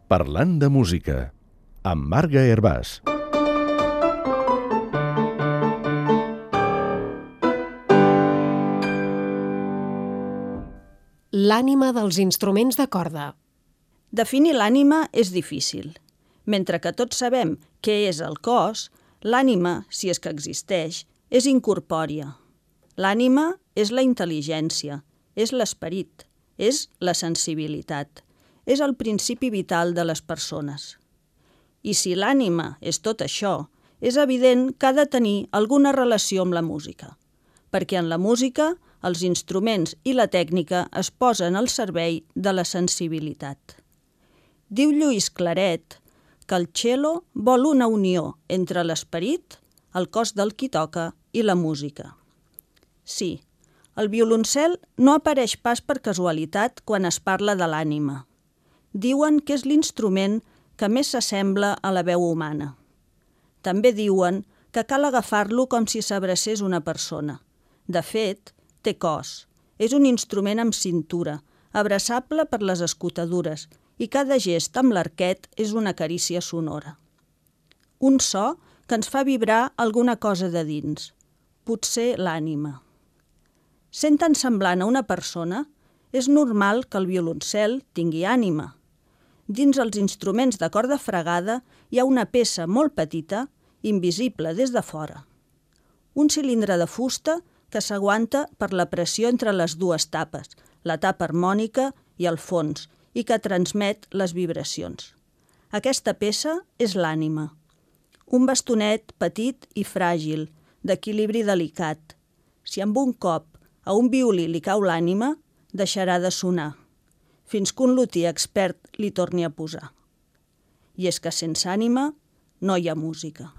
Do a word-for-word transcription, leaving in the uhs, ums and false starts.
Parlant de música, amb Marga Hervàs. L'ànima dels instruments de corda. Definir l'ànima és difícil. Mentre que tots sabem què és el cos, l'ànima, si és que existeix, és incorpòria. L'ànima és la intel·ligència, és l'esperit, és la sensibilitat, és el principi vital de les persones. I si l'ànima és tot això, és evident que ha de tenir alguna relació amb la música, perquè en la música els instruments i la tècnica es posen al servei de la sensibilitat. Diu Lluís Claret que el cello vol una unió entre l'esperit, el cos del qui toca i la música. Sí, el violoncel no apareix pas per casualitat quan es parla de l'ànima. Diuen que és l'instrument que més s'assembla a la veu humana. També diuen que cal agafar-lo com si s'abracés una persona. De fet, té cos. És un instrument amb cintura, abraçable per les escotadures, i cada gest amb l'arquet és una carícia sonora. Un so que ens fa vibrar alguna cosa de dins, potser l'ànima. Sent tan semblant a una persona, és normal que el violoncel tingui ànima. Dins els instruments de corda fregada hi ha una peça molt petita, invisible des de fora. Un cilindre de fusta que s'aguanta per la pressió entre les dues tapes, la tapa harmònica i el fons, i que transmet les vibracions. Aquesta peça és l'ànima. Un bastonet petit i fràgil, d'equilibri delicat. Si amb un cop a un violí li cau l'ànima, deixarà de sonar, fins que un lutier expert li torni a posar. I és que sense ànima no hi ha música.